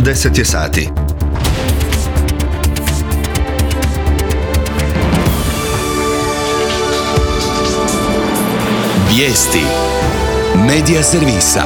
10 je sati. Vijesti Medija servisa.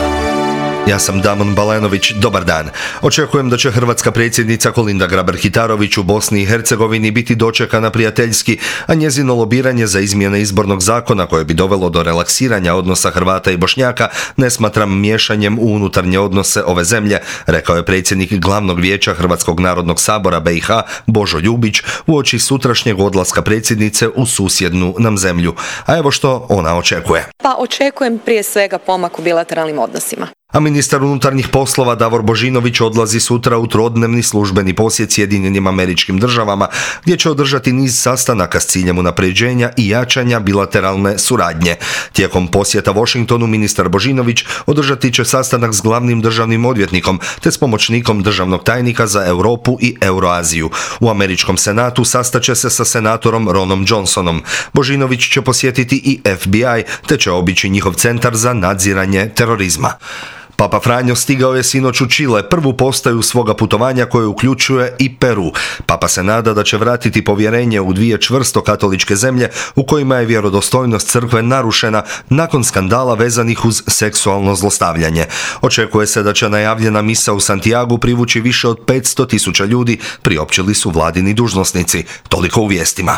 Ja sam Damon Balenović, dobar dan. Očekujem da će hrvatska predsjednica Kolinda Grabar-Kitarović u Bosni i Hercegovini biti dočekana prijateljski, a njezino lobiranje za izmjene izbornog zakona koje bi dovelo do relaksiranja odnosa Hrvata i Bošnjaka ne smatram miješanjem u unutarnje odnose ove zemlje, rekao je predsjednik Glavnog vijeća Hrvatskog narodnog sabora BiH Božo Ljubić uoči sutrašnjeg odlaska predsjednice u susjednu nam zemlju. A evo što ona očekuje. Očekujem prije svega pomak u bilateralnim odnosima. A ministar unutarnjih poslova Davor Božinović odlazi sutra u trodnevni službeni posjet Sjedinjenim Američkim Državama, gdje će održati niz sastanaka s ciljem unapređenja i jačanja bilateralne suradnje. Tijekom posjeta Washingtonu ministar Božinović održati će sastanak s glavnim državnim odvjetnikom te s pomoćnikom državnog tajnika za Europu i Euroaziju. U Američkom senatu sastaće se sa senatorom Ronom Johnsonom. Božinović će posjetiti i FBI te će obići njihov centar za nadziranje terorizma. Papa Franjo stigao je sinoć u Čile, prvu postaju svoga putovanja koje uključuje i Peru. Papa se nada da će vratiti povjerenje u dvije čvrsto katoličke zemlje u kojima je vjerodostojnost crkve narušena nakon skandala vezanih uz seksualno zlostavljanje. Očekuje se da će najavljena misa u Santiagu privući više od 500.000 ljudi, priopćili su vladini dužnosnici. Toliko u vijestima.